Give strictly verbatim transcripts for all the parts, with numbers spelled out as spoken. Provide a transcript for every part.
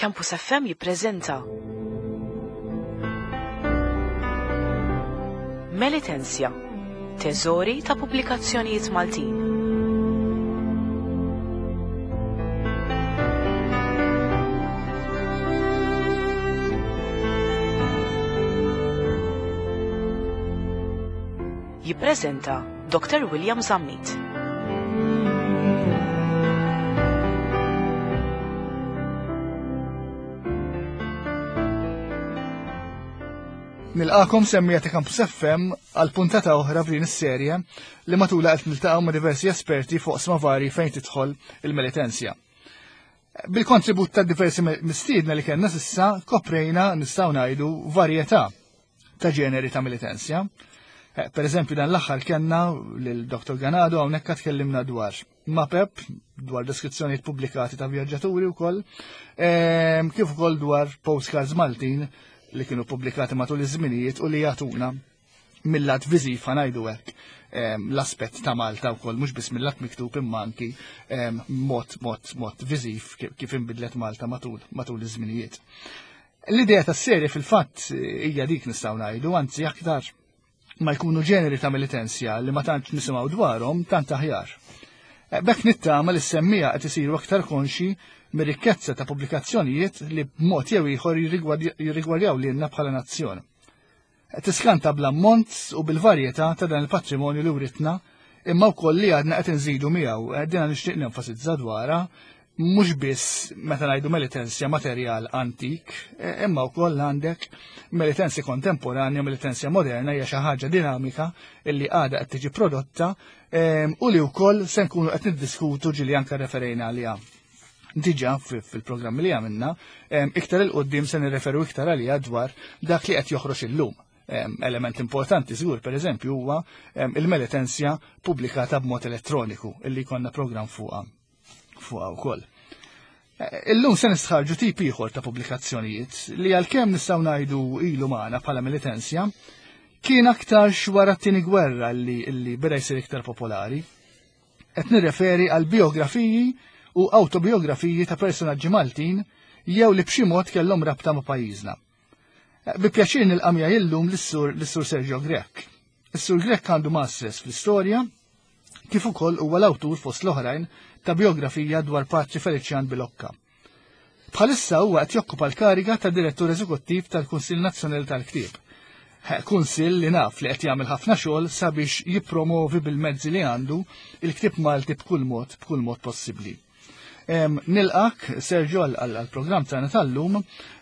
Campus F M jippreżenta Melitensja, teżori ta' pubblikazzjonijiet Maltin. Jippreżenta Doctor William Zammit. Nilqakom semmija ta' Campus F M għal puntata oħra f'din is-serje li matulha qed niltaqgħu ma' diversi esperti fuq oqsma vari fejn tidħol il-Melitensja. Bil-kontribut ta' diversi me-, mistiedna li kellna s'issa koprejna nistgħu ngħidu varjetà ta' ġeneri ta' Melitensja. Eh, per eżempju dan l-aħħar kellna lil Doctor Ganado hawnhekk tkellimna dwar mapep, dwar deskrizzjonijiet pubblikati ta' vjaġġaturi wkoll, ehm, kif ukoll dwar postcards Maltin li kienu pubblikati matul iż-żminijiet u li jagħtuna mill-lat viżiv ħa ngħidu hekk, ehm, l-aspett ta' Malta wkoll mhux biss mill-lat miktub imma anki, ehm, mod, mod, mod viżiv kif, kif inbidlet Malta matul, matul iż-żminijiet. L-idea tas-serje fil-fatt hija dik nistgħu ngħidu, anzi aktar ma jkunu ġeneri ta' Melitensja li ma tantx nisimgħu dwarhom tant aħjar. Eh, b'hekk nittama li s-semmija qed isiru aktar konxi mir-rikkezza ta' pubblikazzjonijiet li b'mod jew ieħor jirrigward-, jirrigwardjaw lilna bħala nazzjon. Eh, tiskanta bl-ammont u bil-varjetà ta' dan il-patrimonju li writna, imma wkoll li għadna qed inżidu miegħu. Eh, dina nixtieq nenfasizza dwarha, mhux biss meta ngħidu Melitensja materjal antik, eh, imma wkoll għandek Melitensja kontemporanja, Melitensja moderna hija xi ħaġa dinamika illi għadha qed tiġi prodotta, ehm, u li wkoll se nkunu qed niddiskutu ġieli anke referejna għaliha. Diġà fi-, fil-programmi li għamilna, ehm, iktar il-qoddim se nirreferu iktar għaliha dwar dak li qed joħroġ illum. Ehm, element importanti żgur, per eżempju, huwa, ehm, il-Melitensja pubblikata b'mod elettroniku illi jkollna programm fuqha, fuqha wkoll. Eh, illum se nistħarġu tip ieħor ta' pubblikazzjonijiet li għalkemm nistgħu ngħidu ilu magħna bħala Melitensja, kien aktarx wara t-tieni gwerra li, li beda jsir iktar popolari. Qed nirreferi għal biografiji u autobiografiji ta' personaġġi Maltin jew li b'xi mod kellhom rabta ma' pajjiżna. Eh, bi pjaċir nilqa' miegħi illum lis-sur, lis-sur Sergio Grech. Is-sur Grech għandu masters fl-istorja, kif ukoll huwa l-awtur fost l-oħrajn ta' biografija dwar Patri Felician Bilocca. Bħalissa huwa qed jokkupa l-kariga ta' direttur eżekuttiv tal-Kunsill Nazzjonali tal-Ktieb. Eh, Kunsill li naf li qed jagħmel ħafna xogħol sabiex jippromovi bil-mezzi li għandu il-ktieb Malti b'kull mod, b'kull mod possibbli. Em, nilqak, Sergio, għal-, għal-, għall-programm tagħna tal-lum.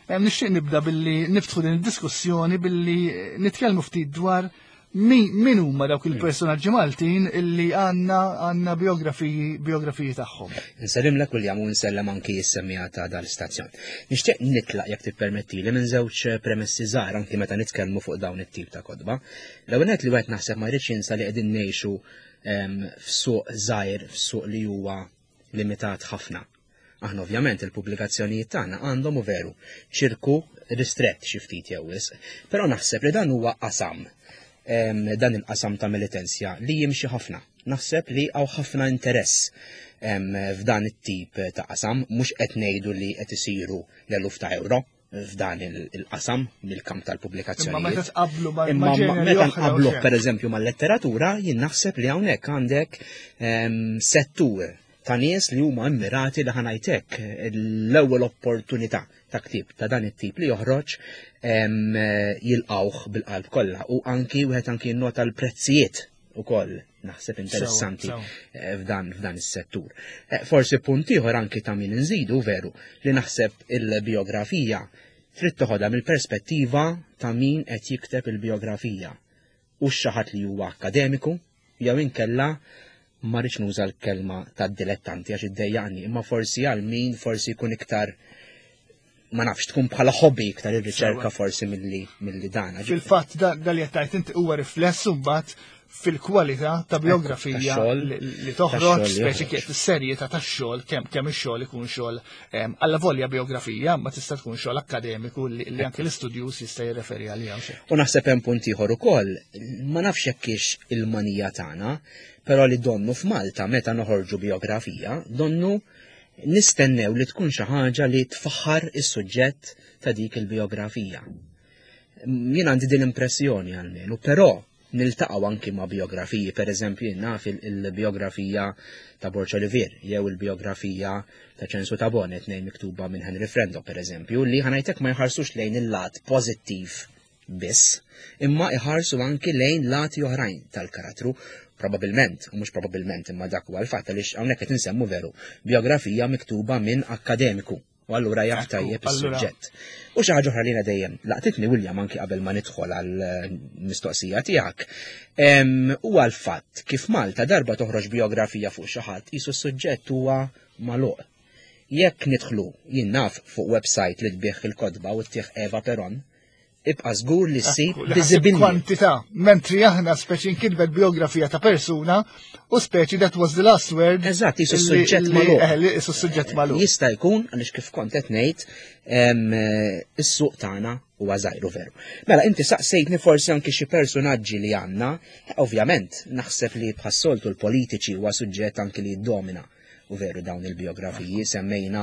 Em, nixtieq nibda billi niftħu din id-diskussjoni billi nitkellmu ftit dwar min, min huma dawk il-personaġġi Maltin illi għandna, għandna biografiji, biografiji tagħhom. Nsellimlek William u nsellem anki s-semmija ta' dal-istazzjon. Nixtieq nitlaq jekk tippermettili minn żewġ premessi żgħar anki meta nitkellmu fuq dawn it-tip ta' kotba. L-ewwel nett li wieħed naħseb ma jridx jinsa li qegħdin ngħixu, em, f'suq żgħir, f'suq li huwa limitat ħafna. Aħna ovvjament il-pubblikazzjonijiet tagħna għandhom u veru ċirku ristrett xi ftit jew wisq, però naħseb li dan huwa qasam, em, dan il-qasam ta' Melitensja li jimxi ħafna. Naħseb li hawn ħafna interess, em, f'dan it-tip ta' qasam, mhux qed ngħidu li qed isiru l-eluf ta' euro f'dan il-, il-qasam mill-kamp tal-pubblikazzjonijiet. Imma meta tqabblu ma' Imma ma' ġeneri meta oħra u nqabblu, xejn. per eżempju, mal-letteratura, jien naħseb li hawnhekk għandek, em, settur ta' nies li huma immirati li ħanajtek l-ewwel opportunità ta' ktieb ta' dan it-tip li joħroġ, em, jilqawh bil-qalb kollha u anki wieħed anki jinnota l-prezzijiet ukoll naħseb interessanti, Sewa, sewa. eh, f'dan, f'dan is-settur. Eh, forsi punt ieħor anki ta' min inżidu veru li naħseb il-biografija trid toħodha mill-perspettiva ta' min qed jikteb il-biografija u xi ħadd li huwa akademiku jew inkella ma rridx nuża l-kelma tad-dilettanti għax iddejjaqni, imma forsi għal min forsi jkun iktar ma nafx tkun bħala hobby iktar ir-riċerka Sewa. forsi milli, milli dan. Fil-fatt da-, da li qed tgħid inti huwa rifless imbagħad fil-kwalità ta' biografija Tax-xogħol, li, li toħroġ, tax-xogħol li speċi joħroġ. kif is-serjetà tax-xogħol, kemm, kemm ix-xogħol ikun xogħol, ehm, alla volja biografija, ma tista' tkun xogħol akkademiku li, li anke l-istudjuż jista' jirreferi għaliha u xejn. U naħseb hemm punt ieħor ukoll, ma nafx jekk hix il-manija tagħna, però li donnu f'Malta meta noħorġu biografija, donnu Nistennew li tkun xi ħaġa li tfaħħar is-suġġett ta' dik il-biografija. Jien għandi din l-impressjoni għalmenu, però niltaqgħu anki ma' biografiji, per eżempju jien naf il-biografija ta' Borg Olivier, jew il-biografija ta' Ċensu Tabone, tnejn miktuba minn Henry Frendo, per eżempju, li ħa ngħidlek ma jħarsux lejn il-lat pożittiv biss, imma iħarsu anki lejn lati oħrajn tal-karattru, probabilment, u mhux probabilment imma dak huwa l-fatt għaliex hawnhekk qed insemmu veru biografija miktuba minn akkademiku. U allura jaf tajjeb is-suġġett. U xi ħaġa oħra li dejjem laqtitni William anki qabel ma nidħol għall-mistoqsija tiegħek. Huwa l-fatt kif Malta darba toħroġ biografija fuq xi ħadd qisu s-suġġett huwa magħluq. Jekk nidħlu jien naf fuq website li tbigħ il-kotba u ttih Eva Peron, ibqa' żgur li ssib biżibilli. Kwantità, mentri aħna speċi nkitbet biografija ta' persuna u speċi that was the last word. Eżatt, qisu s-suġġett magħluq. Eh, qisu s-suġġett magħluq. Jista' jkun għaliex kif kont qed ngħid is-suq tagħna huwa żgħir veru. Mela inti saqsejtni forsi anki xi personaġġi li għandna, ovvjament naħseb li bħas-soltu l-politiċi huwa suġġett anki li jiddomina. U veru dawn il-biografiji, semmejna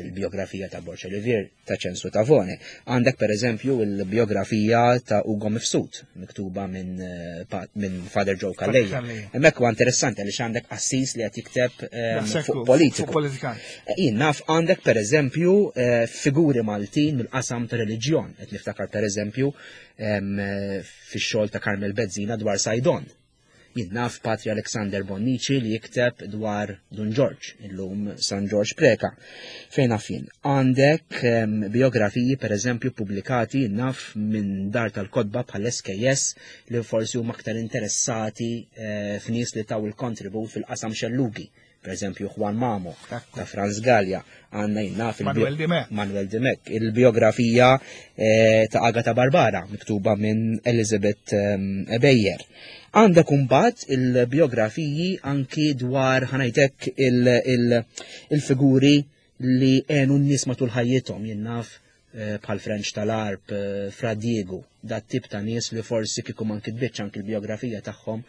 il-biografija ta' Borg Olivier, ta' Ċensu Tavone. Għandek per eżempju il-biografija ta' Ugo Mifsud, miktuba minn min Father Joe Calleja. Hemmhekk huwa interessanti għaliex għandek qassis li qed jikteb fuq politiku. Jien naf għandek per eżempju figuri Maltin mill-qasam ta' reliġjon, qed niftakar per eżempju fix-xogħol ta' Carmel Bezzina dwar Saydon. Jien naf Patri Alexander Bonnici li jikteb dwar Dun George, illum San George Preka. Fejn naf jien? Għandek um, biografiji per eżempju pubblikati naf minn dar tal-kotba bħal S K S li forsi huma aktar interessati eh, f'nies li taw il-kontribut fil-qasam xellugi. Per eżempju Juan Mamo ta' Franz Gallia, għandna jien naf Manuel Dimech. Manuel Dimech, il-biografija eh, ta' Agata Barbara miktuba minn Elizabeth um, Ebejer. Għandek imbagħad il-biografiji anki dwar ħa ngħidlek il-figuri li għenu n-nies matul ħajjithom, jien naf bħal French tal-Arp, Fra Diego, dat tip ta' nies li forsi kieku ma nkitbitx anki l-biografija tagħhom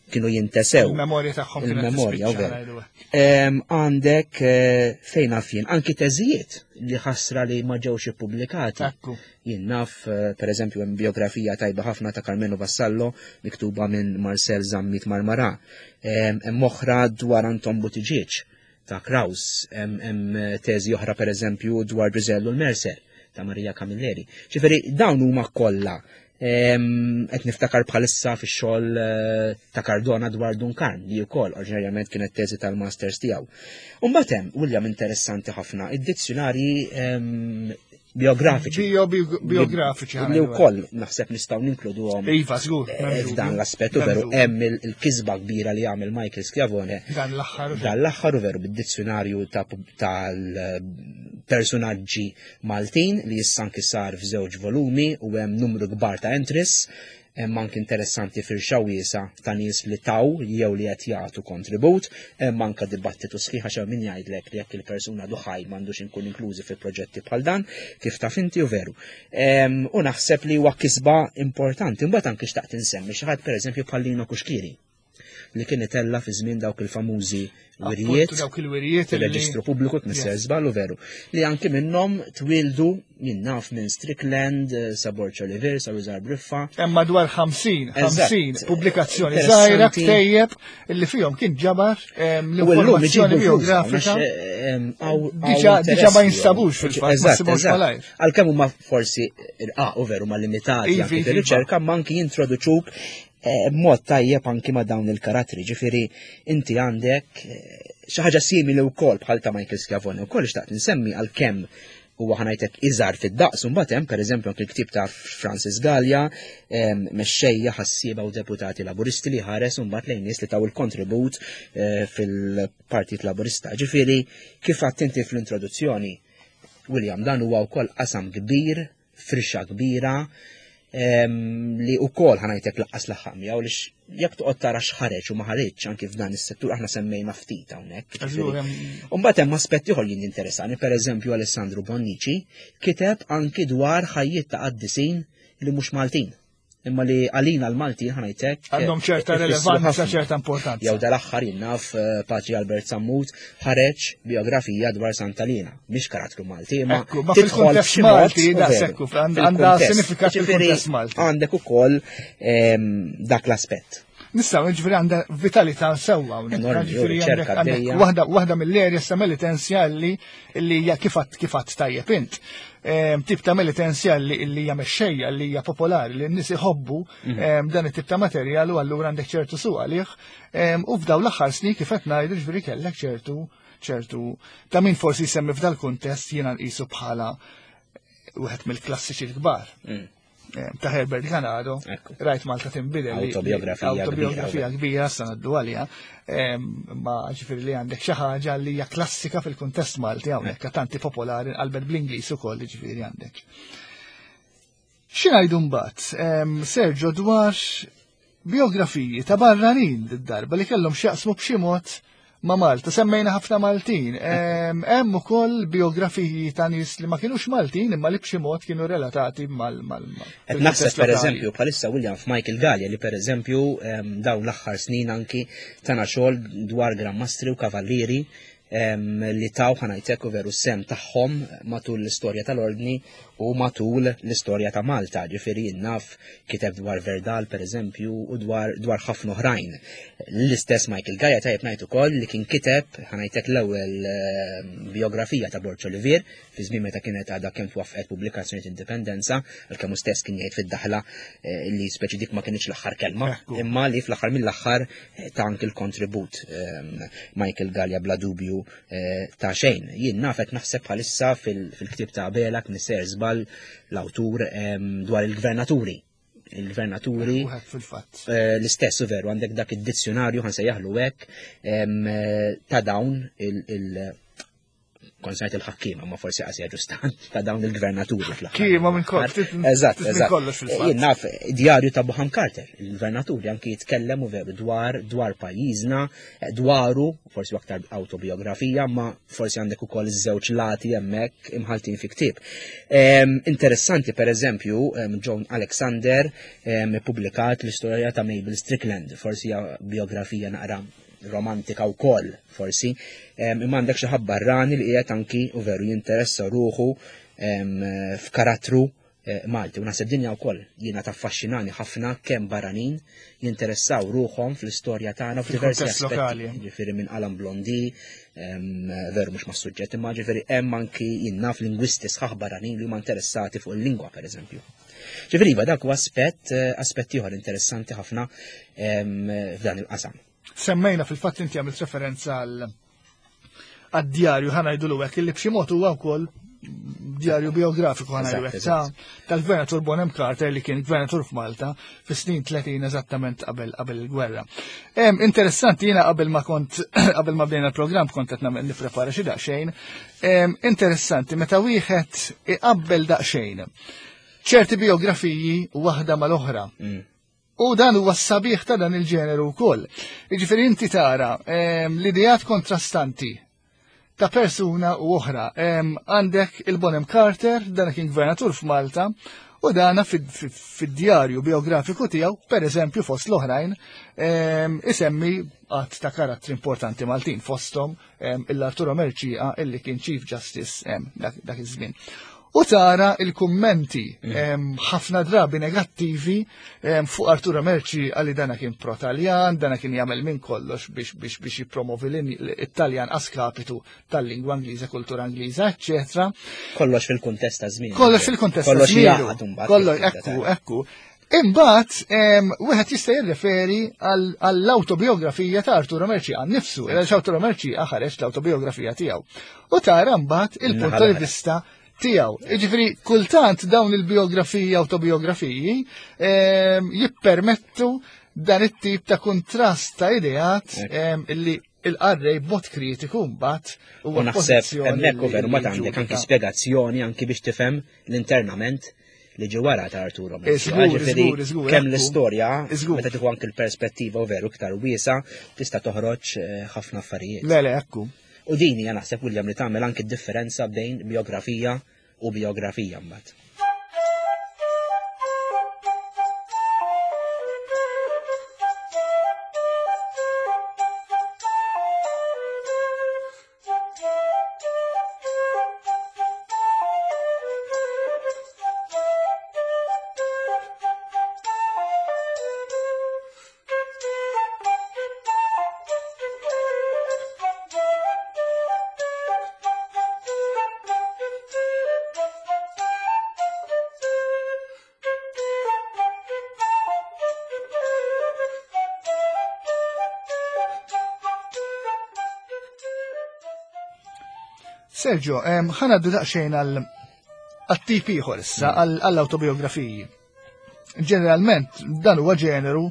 kienu jintesew. Il-memorja tagħhom kienet Il-memorja, tispiċċa, veru. ngħidu hekk. Em, għandek, eh, fejn naf jien, anki teżijiet li ħasra li ma ġewx ippubblikati. Ekku. Jien naf, eh, per eżempju, hemm biografija tajba ħafna ta' Carmelo Vassallo miktuba minn Marcel Zammit Marmara. Em, hemm oħra dwar Anton Buttigieg ta' Kraus, hemm, hemm teżi oħra per eżempju dwar Grisello l-Mercer ta' Maria Camilleri. Ġifieri dawn huma kollha. Em, qed niftakar bħalissa fix-xogħol, eh, ta' Cardona dwar Dun Karm li wkoll oriġinarjament kienet teżi tal-masters tiegħu. U mbagħad hemm William interessanti ħafna id-dizzjonarji, em, biografiċi. Bio, bio, biografiċi, Li ħana ngħidu. wkoll naħseb nistgħu ninkluduhom. Iva, żgur, eh, m'hemm dubju. f'dan l-aspett u M'hemm veru dubju. hemm il-, il-kisba kbira li għamel Michael Schiavone. Dan l-aħħar. Dan l-aħħar u veru bid-dizzjonarju ta' pub-, tal-personaġġi Maltin li issa anki sar f'żewġ volumi u hemm numru kbar ta' entries. Hemm anke interessanti firxa wiesa ta' nies li taw jew li qed jagħtu kontribut, hemm anke dibattitu sħiħ għax hemm min jgħidlek li jekk il-persuna duħaj m'għandux inkun inklużi fi proġetti bħal dan, kif taf inti u veru. Em, u naħseb li huwa kisba importanti, imbagħad anke xtaqt insemmi xi ħadd pereżempju bħal Lino Cuschieri li kien itella fi żmien dawk il-famużi Appuntu wirijiet dawk il-wirijiet fil-reġistru li pubbliku tmisser Yes. żball u veru, li anki minnhom twildu jien naf minn Strickland, eh, sa Borg Olivier, sa Rużar Briffa. Hemm madwar ħamsin, Eżatt. ħamsin pubblikazzjoni Interessanti. żgħira ktejjeb illi fihom kien ġabar, ehm, U llum l-informazzjoni iġibu flus, biografika. għax, ehm, għaw- għaw Diġà, diġà ma interessi, jinstabux fil-fatt, ma Eżatt, ssibhomx eżatt. malajr. Għalkemm huma forsi irqaq u veru ma limitati Ivi, anki ivi, fir-riċerka, ma anki jintroduċuk, eh, b'mod tajjeb anki ma' dawn il-karattri. Ġifieri inti għandek, eh, xi ħaġa simili wkoll bħal ta' Michael Schiavone wkoll xtaqt insemmi għalkemm huwa ħa ngħidlek iżgħar fid-daqs, u mbagħad hemm pereżempju anke l-ktieb ta' Francis Gallia, em, mexxejja ħassieba u deputati laburisti li ħares u mbagħad lejn nies li taw il-kontribut, eh, fil-Partit Laburista. Ġifieri kif għedt inti fl-introduzzjoni, William, dan huwa wkoll qasam kbir, firxa kbira, em, li wkoll ħa ngħidlek laqqas laħaq miegħu għaliex jekk toqgħod tara x'ħareġ u ma ħareġx anki f'dan is-settur aħna semmejna ftit hawnhekk, Eżgur, ġifieri. hemm U mbagħad hemm aspetti ieħor li jinteressani, pereżempju Alessandro Bonnici kiteb anki dwar ħajjiet ta' qaddisin li mhux Maltin. imma li għalina l-Malti ħa ngħidlek għandhom ċerta relevanza, ċerta importanza. Jew dal-aħħar jien naf eh, Patri Albert Sammut ħareġ biografija dwar Sant'Alina, mhix karattru Malti, imma tidħol f'xi Malti, daqshekk għandha sinifikat fil-kuntest Malti. Għandek ukoll ehm, dak l-aspett. Nistgħu ġifieri għandha vitalità sewwa hawnhekk. Ġifieri waħda waħda mill-erja sa militensja li li hija kifat kifat tajjeb int. Ehm, tip ta' militensja li hija mexxejja li hija popolari li n-nies iħobbu mhm. ehm, dan it-tip ta' materjal u allura għandek ċertu suq għalih. Ehm, u f'daw l-aħħar snin kif qed ngħidu ġifieri kellek ċertu ċertu ta' min forsi jsemmi f'dal kuntest jiena nqisu bħala wieħed mill-klassiċi l-kbar. Mm. Ta' Herbert Ganado, rajt Malta tinbidel. Autobiografija Autobiografija kbira, sa ngħaddu għaliha, ma ġifieri li għandek xi ħaġa li hija klassika fil-kuntest Malti hawnhekk, tanti popolari qalbet bl-Ingliż ukoll ġifieri għandek. X'ingħidu mbagħad, Sergio, dwar biografiji ta' barranin d-darba li kellhom x'jaqsmu b'xi mod ma' Malta. Semmejna ħafna Maltin. Hemm ukoll biografiji ta' nies li ma kienux Maltin imma li b'xi mod kienu relatati mal mal. Qed naħseb pereżempju bħalissa William f'Michael Gallia li pereżempju dawn l-aħħar snin anki tana xogħol dwar Gran Mastri u Kavallieri li taw ħa ngħidlek u veru sem tagħhom matul l-istorja tal-ordni u matul l-istorja ta' Malta. Ġifieri naf kiteb dwar Verdal pereżempju u dwar dwar ħafna oħrajn. L-istess Michael Gallia tajjeb ngħid ukoll li kien kiteb ħa ngħidlek l-ewwel biografija ta' Borg Olivier fi żmien meta kienet għadha kemm twaffqet pubblikazzjoni Indipendenza, għalkemm hu stess kien jgħid fid-daħla li speċi dik ma kienx l-aħħar kelma, imma li fl-aħħar mill-aħħar ta' anki l-kontribut Michael Gallia bla dubju ta' xejn. Jien nafet naħseb bħalissa fil-ktieb ta' Abela kien ser żball l-awtur dwar il-gvernaturi. Il-gvernaturi l-istess u veru għandek dak id-dizzjonarju ħa nsejjaħlu hekk ta' dawn il- konsajt il-ħakkiema, ma forsi qasija ġustan, ta' dawn il-gvernaturi fl-aħħar. Kiema minn kollox. Eżatt, eżatt. Jien naf djarju ta' Bonham Carter, il-gvernaturi anki jitkellem u veru dwar dwar pajjiżna, dwaru, forsi aktar autobiografija, ma forsi għandek ukoll iż-żewġ lati hemmhekk imħaltin fi ktieb. Interessanti pereżempju, John Alexander ippubblikat l-istorja ta' Mabel Strickland, forsi hija biografija naqra romantika u koll, forsi, imma għandek xi ħadd barrani li qiegħed anki u veru jinteressa ruħu f'karattru Malti. U naħseb dinja wkoll jiena taffaxxinani ħafna kemm barranin jinteressaw ruħhom fl-istorja tagħna f'diversi aspetti. Ġifieri minn Alan Blondi, veru mhux mas-suġġett, imma ġifieri hemm anki jien naf lingwisti sħaħ barranin li huma interessati fuq il-lingwa pereżempju. Ġifieri iva dak huwa aspett aspett ieħor interessanti ħafna f'dan il-qasam. Semmejna fil-fatt inti għamilt referenza għad-djarju ħa ngħidu hekk illi b'xi mod huwa wkoll djarju biografiku ħa ngħidu hekk tal-gvernatur Bonham Carter li kien gvernatur f'Malta fis-snin tletin eżattament qabel qabel il-gwerra. Interessanti jiena qabel ma kont qabel ma bdejna l-programm kont qed nagħmel nipprepara xi daqsxejn. Interessanti meta wieħed iqabbel daqsxejn ċerti biografiji waħda mal-oħra. U dan huwa s-sabiħ ta' dan il-ġeneru wkoll. Jiġifieri inti tara l-ideat kontrastanti ta' persuna u oħra. Għandek il-Bonham Carter, dan kien gvernatur f'Malta, u dana fid-djarju biografiku tiegħu, pereżempju fost l-oħrajn, isemmi għadd ta' karattri importanti Maltin fosthom il-Arturo Mercieca illi kien Chief Justice dak iż-żmien. U tara il-kummenti ħafna drabi negattivi fuq Arturo Mercieca għalli dana kien pro-Taljan, dana kien jagħmel minn kollox biex biex biex jippromovi l-Italjan askapitu tal-lingwa Ingliża, kultura Ingliża, eċċetera. Kollox fil-kuntest ta' żmien. Kollox fil-kuntest ta' żmien. Kollox, ekku, ekku. Imbagħad wieħed jista' jirreferi għall-autobiografija ta' Arturo Mercieca nnifsu, għaliex Arturo Mercieca ħareġ l-autobiografija tiegħu. U tara mbagħad il-punt di vista tiegħu. Jiġifieri kultant dawn il-biografiji autobiografiji jippermettu dan it-tip ta' kontrast ta' ideat illi il-qarrej b'mod kritiku mbagħad huwa naħseb hemmhekk u veru ma għandek anki spjegazzjoni anki biex tifhem l-internament li ġi wara ta' Arturo Mercieca. Kemm l-istorja, meta tieħu anki l-perspettiva u veru iktar wiesa, tista' toħroġ ħafna affarijiet. Le, le, ekku. U din hija naħseb William li tagħmel anki differenza bejn biografija u biografija mbagħad. Sergio, ħa ngħaddu daqsxejn għal għat-tip ieħor issa, għall-autobiografiji. Ġeneralment, dan huwa ġeneru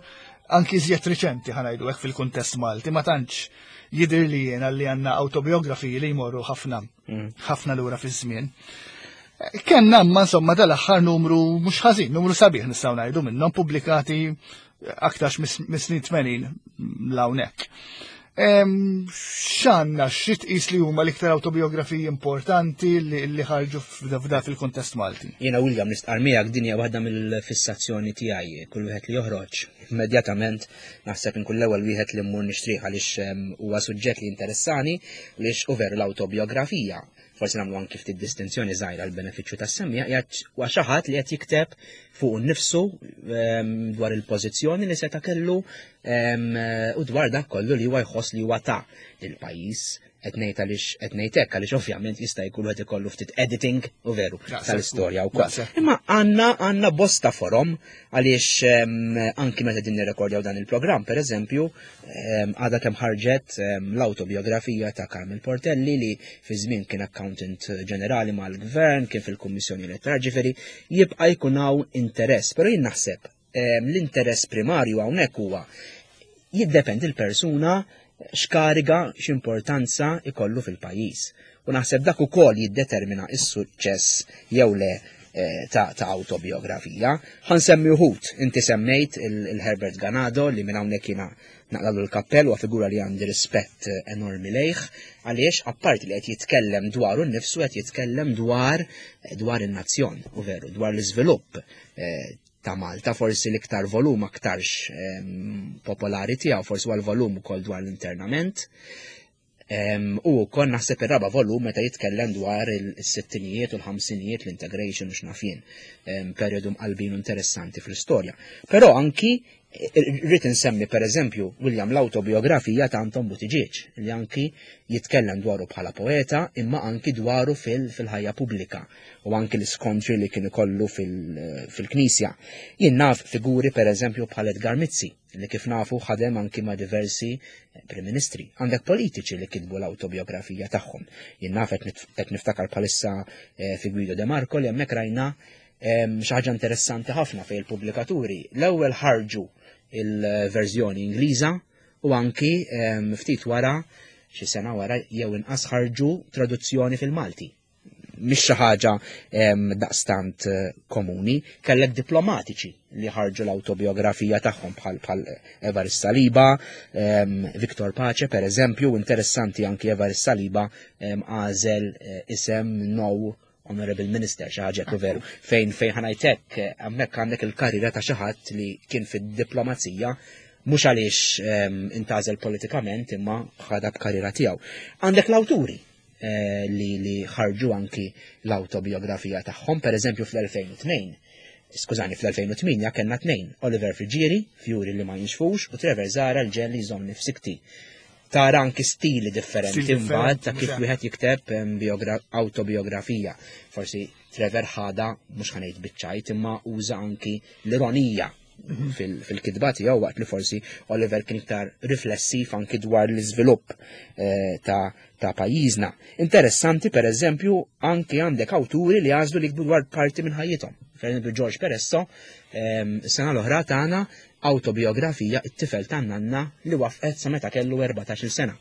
anki iżjed riċenti, ħa ngħidu hekk, fil-kuntest Malti, ma tantx jidher li jiena li għandna autobiografiji li jmorru ħafna ħafna lura fiż-żmien. Kenna ma insomma dal-aħħar numru mhux ħażin, numru sabiħ nistgħu ngħidu minnhom pubblikati aktarx mis-snin tmenin 'l hawnhekk. X'għandna, xi tqis li huma l-iktar autobiografiji importanti li ħarġu f'da fil-kontest Malti? Jiena, William, nistqar miegħek, din hija waħda mill-fissazzjoni tiegħi. Kull wieħed li joħroġ, immedjatament naħseb inkun l-ewwel wieħed li mmur nixtrih, għaliex huwa suġġett li interessani, għaliex u veru l-autobiografija, forsi nagħmlu anki ftit distinzjoni żgħira għal benefiċċju tas-semmiegħa, huwa xi ħadd li qed jikteb fuq innifsu dwar il-pożizzjoni li seta' kellu u dwar dak kollu li huwa jħoss li huwa ta lill-pajjiż. Qed ngħid għaliex qed ngħid hekk għaliex ovvjament jista' jkun qed ikollu ftit editing u veru tal-istorja wkoll. Imma għandna għandna bosta forom, għaliex anki meta din nirrekordjaw dan il-programm, pereżempju, għadha kemm ħarġet l-autobiografija ta' Carmel Portelli, li fi żmien kien accountant ġenerali mal-gvern, kien fil-Kummissjoni Elettorali, ġifieri jibqa' jkun hawn interess, però jien naħseb l-interess primarju hawnhekk huwa jiddependi l-persuna x'kariga, x'importanza ikollu fil-pajjiż. U naħseb dak ukoll jiddetermina s-suċċess jew le eh, ta', ta autobiografija. Ħa nsemmi wħud, inti semmejt il-Herbert Ganado, li minn hawnhekk jiena naqlalu l-kappell, u figura li għandi rispett enormi lejh, għaliex apparti li qed jitkellem dwaru nnifsu, qed jitkellem dwar dwar in-nazzjon, u veru dwar l-iżvilupp eh, ta' Malta. Forsi l-iktar volum aktarx popolari tiegħu forsi huwa l-volum ukoll dwar l-internament. U wkoll naħseb ir-raba' volum meta jitkellem dwar il-sittinijiet u l-ħamsinijiet, l-integration u x'naf jien, periodu mqalbin interessanti fl-istorja. Però anki rrid insemmi, per eżempju, William, l-autobiografija ta' Anton Buttigieg, li anki jitkellem dwaru bħala poeta imma anki dwaru fil-ħajja pubblika u anki l-iskontri li kien ikollu fil-Knisja. Jien naf figuri, per eżempju, bħal Edgar Mizzi, li kif nafu ħadem anki ma' diversi Prim Ministri. Għandek politiċi li kitbu l-autobiografija tagħhom. Jien naf, qed niftakar bħalissa eh, fi Guido De Marco, li hemmhekk rajna xi ħaġa interessanti ħafna fejn il-pubblikaturi l-ewwel ħarġu il-verżjoni Ingliża u anki ftit wara, xi sena wara jew inqas, ħarġu traduzzjoni fil-Malti. Mhix xi ħaġa daqstant eh, komuni. Kellek diplomatiċi li ħarġu l-autobiografija tagħhom bħal bħal Evarist Saliba, Victor Pace per eżempju. Interessanti, anki Evarist Saliba għażel eh, isem "No Honorable Minister", xi ħaġa veru. Fejn fejn ħa ngħidlek, hemmhekk għandek il-karriera ta' xi ħadd li kien fid-diplomazija, mhux għaliex intgħażel politikament imma ħadha b'karriera tiegħu. Għandek l-awturi eh, li li ħarġu anki l-autobiografija tagħhom, per eżempju fl-elfejn u tnejn, skużani, fl-elfejn u tmienja kellna tnejn, Oliver Friggieri, "Fjuri li ma jinxfux", u Trevor Zahra, "Il-Ġenn li jżommni f'sikti". Tara anki stili differenti mbagħad ta' kif wieħed jikteb autobiografija. Forsi Trevor ħada, mhux ħa ngħid biċ-ċajt, imma uża anki l-ironija mhm. fil-kitba tiegħu, waqt li forsi Oliver kien iktar riflessiv anki dwar l-iżvilupp eh, ta' ta' pajjiżna. Interessanti, per eżempju, anki għandek awturi li għażlu li jiktbu dwar parti minn ħajjithom. Per eżempju, George Peresso, sena l-oħra tana autobiografija, "It-tifel tan-nanna", li waqfet sa meta kellu erbatax-il sena.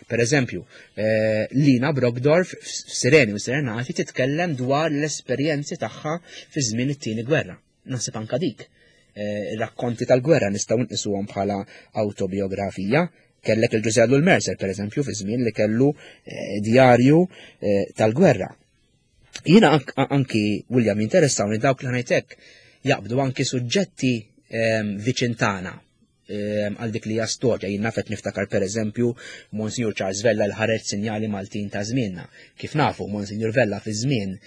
Per eżempju, eh, Lina Brockdorff f'Sireni u Serenati titkellem dwar l-esperjenzi tagħha fi żmien it-tieni gwerra. Naħseb anka dik. Eh, rakkonti tal-gwerra nistgħu nqisuhom bħala autobiografija. Kellek il-Ġużè Ellul Mercer, per eżempju, fi żmien li kellu eh, djarju tal-gwerra. Jiena anki, William, interessawni dawk li, ħa ngħidlek, jaqbdu anki suġġetti viċin tagħna għal dik li hija storja. Jien naf, qed niftakar, per eżempju, Monsignor Charles Vella li ħareġ "Sinjali Maltin ta' Żmienna". Kif nafu, Monsignor Vella fi żmien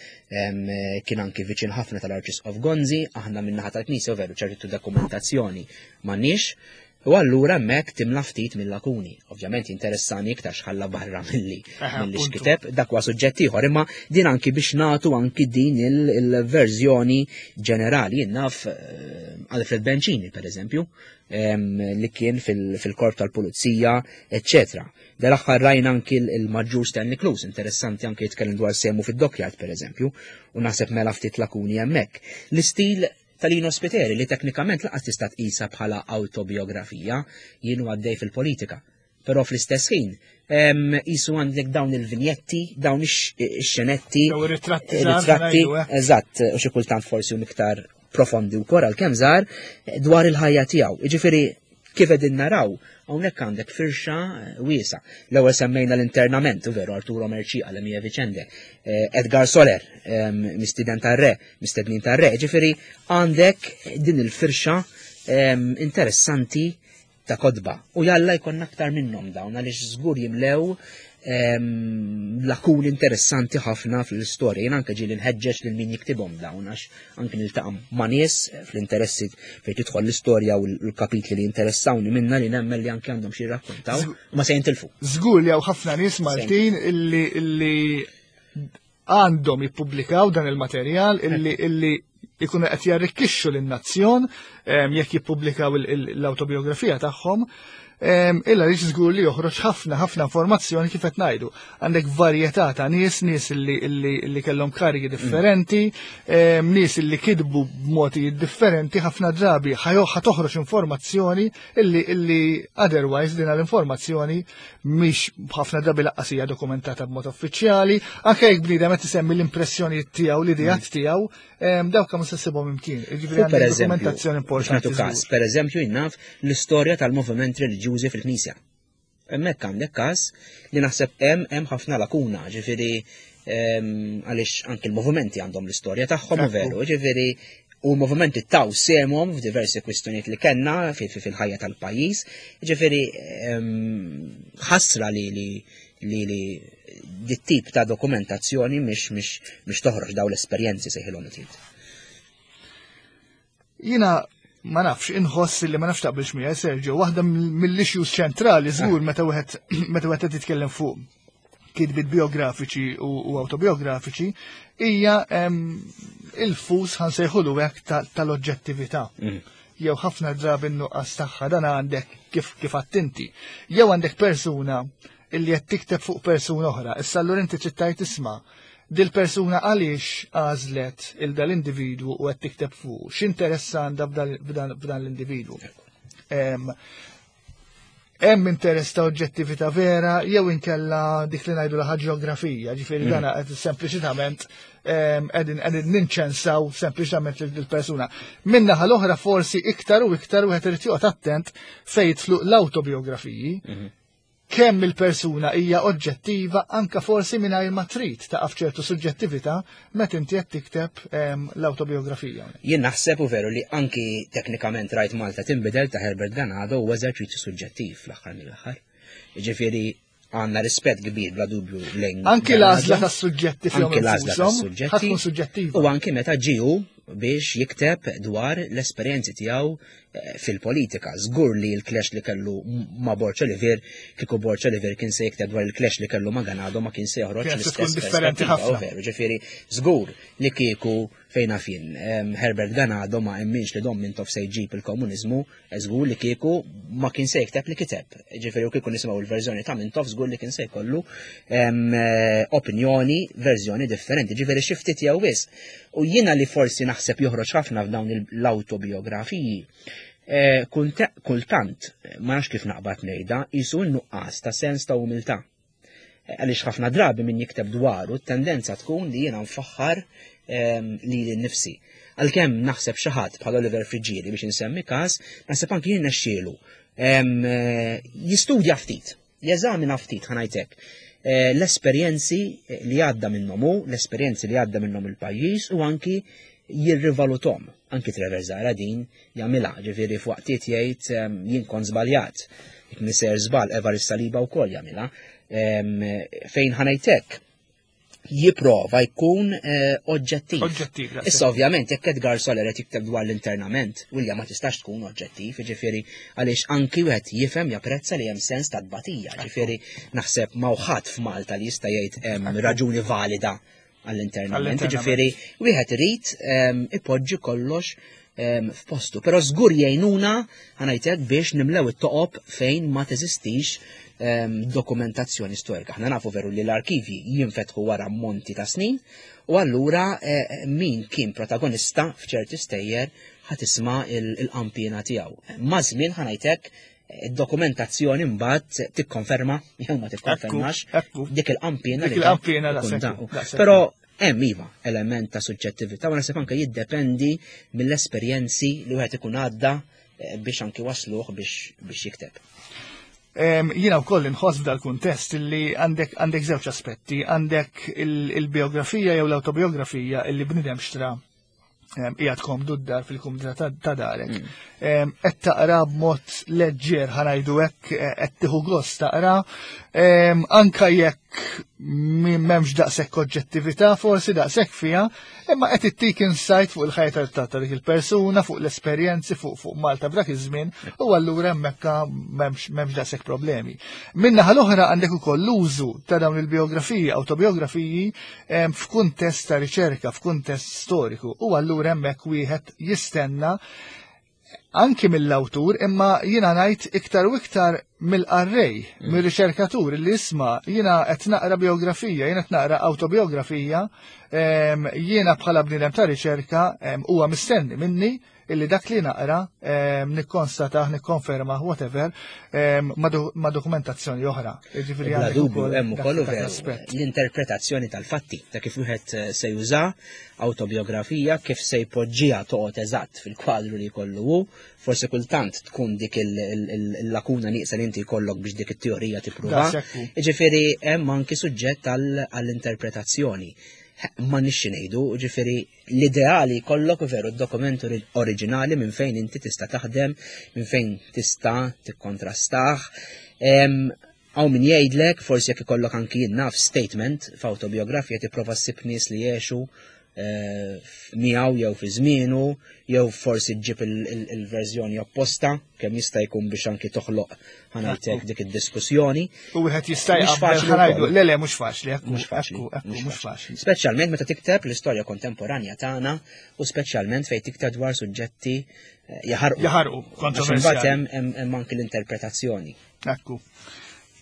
kien anki viċin ħafna tal-Arċisqof Gonzi. Aħna min-naħa tal-Knisja veru ċertu dokumentazzjoni m'għandniex. U allura hemmhekk timla ftit mill-lakuni. Ovvjament interessani iktar x'ħalla barra milli milli x'kiteb, dak huwa suġġett ieħor, imma din anki biex nagħtu anki din il-verżjoni ġenerali. Jien naf eh, Alfred Bencini, per eżempju, li kien fil-korp tal-pulizija, eccetera. Dal-aħħar rajna anki il-Maġġur Stanley Klus, interessanti anki jitkellem dwar semu fid-dockyard, per eżempju, u naħseb mela ftit lakuni hemmhekk. L-istil tal-Lino Spiteri li teknikament laqas tista' tqisha bħala autobiografija, jienu għaddej fil-politika. Però fl-istess ħin, jisu għandek dawn il-vinjetti, dawn ix-xenetti, ritratti, eh. eżatt, u xi kultant forsi hum iktar profondi u kor għalkemm żgħar dwar il-ħajja tiegħu. Jiġifieri kif qegħdin naraw, hawnhekk għandek firxa wiesa. L-ewwel semmejna l-internament, u veru Arturo Mercieca l Mia Vicende, eh, Edgar Soler, mistiden tar-re, mistednin tar-re, ġifieri għandek din il-firxa interessanti ta' kodba. U jalla jkollna aktar minnhom dawn għaliex żgur jimlew lakuni interessanti ħafna fl-istorja. Jien anke ġieli nħeġġeġ lil min jiktibhom dawn għax anke niltaqa' ma' nies fl-interessi fejn tidħol l-istorja u l-kapitli li interessawni minna li nemmen li anke għandhom xi jirrakkontaw u ma se jintilfu. Żgur li hawn ħafna nies Maltin illi illi għandhom jippubblikaw dan il-materjal illi illi ikunu qed jarrikkixxu lin-nazzjon jekk jippubblikaw l-awtobiografija tagħhom. Illa li żgur li joħroġ ħafna ħafna informazzjoni kif qed ngħidu. Għandek varjetà ta' nies, nies li, li, li kellhom karigi differenti, nies li kitbu b'modi differenti, ħafna drabi ħa toħroġ informazzjoni illi illi otherwise din l-informazzjoni mhix ħafna drabi lanqas hija dokumentata b'mod uffiċjali, anke jekk bniedem qed isemmi l-impressjonijiet tiegħu, l-ideat tiegħu, dawk kemm se ssibhom imkien. Jiġifieri għandek dokumentazzjoni importanti. Każ, per eżempju, jinnaf l-istorja tal-moviment reliġjużi fil-Knisja. Hemmhekk għandek każ li naħseb hemm hemm ħafna lakuna, ġifieri għaliex anke l-movimenti għandhom l-istorja tagħhom u veru, ġifieri u l-movimenti taw semhom f'diversi kwistjonijiet li kellna fil-ħajja tal-pajjiż, ġifieri ħasra li li li li dit-tip ta' dokumentazzjoni mhix mhix mhix toħroġ daw l-esperjenzi sejħilhom it. Jiena ma nafx, inħoss li ma nafx taqbilx miegħi Sergio, waħda mill-issues ċentrali żgur meta wieħed meta wieħed qed jitkellem fuq kitbiet biografiċi u, u autobiografiċi hija il-fus ħa nsejħulu hekk tal-oġġettività. Jew ħafna drabi n-nuqqas tagħha dan għandek kif kif attenti. Jew għandek persuna illi qed tikteb fuq persuna oħra. Issa allura inti trid tgħid isma' dil-persuna għaliex għażlet il dal-individwu u qed tikteb fuq, x'interess għandha f'dan l-individwu. Hemm interess ta' oġġettività vera jew inkella dik li ngħidu laħa ġeografija, ġifieri dan qed sempliċitament qegħdin qegħdin ninċensaw sempliċitament lill-persuna. Min-naħa l-oħra forsi iktar u iktar wieħed irid joqgħod attent fejn jidħlu l-awtobiografiji, kemm il-persuna hija oġġettiva anka forsi mingħajr ma trid taqa' f'ċertu suġġettività meta inti qed tikteb l-awtobiografija. Jien naħseb u veru li anki teknikament rajt Malta tinbidel ta' Herbert Ganado u eżerċizzju suġġettiv fl-aħħar mill-aħħar. Jiġifieri għandna rispett kbir bla dubju lejn Anki l-għażla tas-suġġetti fihom Anki l-għażla infushom tas-suġġetti. ħa tkun suġġettiva. U anki meta ġiju biex jikteb dwar l-esperjenzi tiegħu eh, fil-politika. Żgur li l-clash li kellu ma' Borg Olivier, kieku Borg Olivier kien se jikteb dwar il-clash li kellu ma' Ganado ma kien se joħroġ Kienet se tkun l-istess differenti perspettiva, ħafna. u veru, ġifieri żgur li kieku fejn fin Herbert Ganado ma emminx li Dom Mintoff se jġib il-komuniżmu, żgur li kieku ma kien se jikteb li kiteb. Ġifieri u kieku nisimgħu l-verżjoni ta' Mintoff żgur li kien se jkollu em, eh, opinjoni, verżjoni differenti, ġifieri xi ftit jew wisq. U jiena li forsi naħseb joħroġ ħafna f'dawn l-autobiografiji, eh, kulte- kultant, ma nafx kif naqbad ngħidha, jisu n-nuqqas ta' sens ta' umiltà. Eh, Għaliex ħafna drabi min jikteb dwaru, tendenza tkun li jiena nfaħħar em, li l-nifsi. Għalkemm naħseb xi ħadd bħal Oliver Friggieri biex insemmi każ, naħseb anki jien nexxielu em, eh, jistudja ftit, jeżamina ftit ħa ngħidlek. Eh, L-esperjenzi li għadda minnhom hu, l-esperjenzi li għadda minnhom il-pajjiż u anki jirrivalutom. Anki Trevor Zahra din jagħmilha, ġifieri f'waqtiet jgħid em, jien kont żbaljat. Jekk niser żball Evarist Saliba wkoll jagħmilha. Em, Fejn ħa ngħidlek, Jipprova jkun eh, oġġettiv. Oġġettiv. Issa ovvjament jekk Edgar Soler qed jikteb dwar l-internament, William, ma tistax tkun oġġettiv, jiġifieri għaliex anki wieħed jifhem, japprezza li hemm sens ta' tbatija, ġifieri naħseb ma ħadd f'Malta li jista' jgħid hemm raġuni valida għall-internament, ġifieri wieħed irid ehm, ipoġġi kollox ehm, f'postu. Però żgur jgħinuna, ħa ngħidlek, biex nimlew it-toqob fejn ma teżistix ehm, dokumentazzjoni storika. Aħna nafu veru li l-arkivi jinfetħu wara monti ta' snin u allura eh, min kien protagonista f'ċerti stejjer ħa tisma' il-qampina tiegħu. Ma' żmien, ħa ngħidlek, id-dokumentazzjoni mbagħad tikkonferma jew ma tikkonfermax dik il-qampina. Dik il-qampina. Però hemm iva element ta' suġġettività u naħseb anke jiddependi mill-esperjenzi li wieħed ikun għadda eh, biex anki wasluh biex biex jikteb. Jiena wkoll inħoss f'dal-kuntest li għandek għandek żewġ aspetti, għandek il-biografija jew l-autobiografija illi bnidem xtra qiegħed komdu d-dar fil-kumdità ta' darek. Mm. Qed taqra b'mod leġġer, ħa ngħidu hekk, eh, qed tieħu gost taqra, anka jekk m'hemmx daqshekk oġġettività forsi daqshekk fiha, imma qed ittik insight fuq il-ħajja ta' dik il-persuna, fuq l-esperjenzi, fuq fuq Malta b'dak iż-żmien, u allura hemmhekk m'hemmx m'hemmx daqshekk problemi. Min-naħa l-oħra għandek ukoll l-użu ta' dawn il-biografiji, autobiografiji f'kuntest ta' riċerka, f'kuntest storiku, u allura hemmhekk wieħed jistenna anki mill-awtur, imma jiena ngħid iktar u iktar mill-qarrej, mm. mill-riċerkatur li jisma', jiena qed naqra biografija, jiena qed naqra autobiografija, jiena bħala bniedem ta' riċerka huwa mistenni minni illi dak li naqra nikkonstatah, nikkonferma, whatever, ma' dokumentazzjoni oħra. Ġifieri għandek dubju hemm ukoll l-interpretazzjoni tal-fatti ta' kif wieħed eh, se juża autobiografija, kif se jpoġġiha toqgħod eżatt fil-kwadru li jkollu hu, forsi kultant tkun dik il-lakuna nieqsa li inti jkollok biex dik it-teorija tippruva. Ġifieri hemm anki suġġett għall-interpretazzjoni. Ma nixxi ngħidu, ġifieri l-ideali jkollok veru d-dokument oriġinali minn fejn inti tista' taħdem, minn fejn tista' tikkontrastah. Hawn min jgħidlek, forsi jekk ikollok anki naf statement f'autobiografija, tipprova ssib nies li jgħixu eh, miegħu jew fi żmienu, jew forsi ġġib il-verżjoni opposta kemm jista' jkun biex anki toħloq, ħa ngħidlek, dik id-diskussjoni. U wieħed jista' jaqbel, ħa ngħidu, le le mhux faċli, mhux faċli, mhux faċli. Speċjalment meta tikteb l-istorja kontemporanja tagħna u speċjalment fejn tikteb dwar suġġetti eh, jaħarqu. Jaħarqu, kontroversjali. Hemm anki l-interpretazzjoni. Ekku.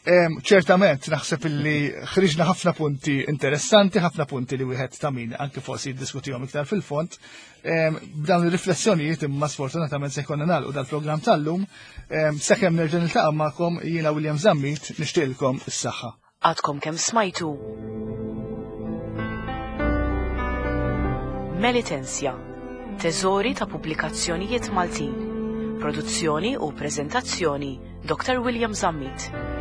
Ċertament, naħseb illi ħriġna ħafna punti interessanti, ħafna punti li wieħed ta' min anke forsi jiddiskutihom iktar fil-fond. B'dawn ir-riflessjonijiet imma sfortunatament se jkollna nagħlqu dal-programm tal-lum. Sakemm nerġa' niltaqa' magħkom, jiena William Zammit nixtieqilkom is-saħħa. Għadkom kemm smajtu Melitensja, teżori ta' pubblikazzjonijiet Maltin. Produzzjoni u prezentazzjoni Doctor William Zammit.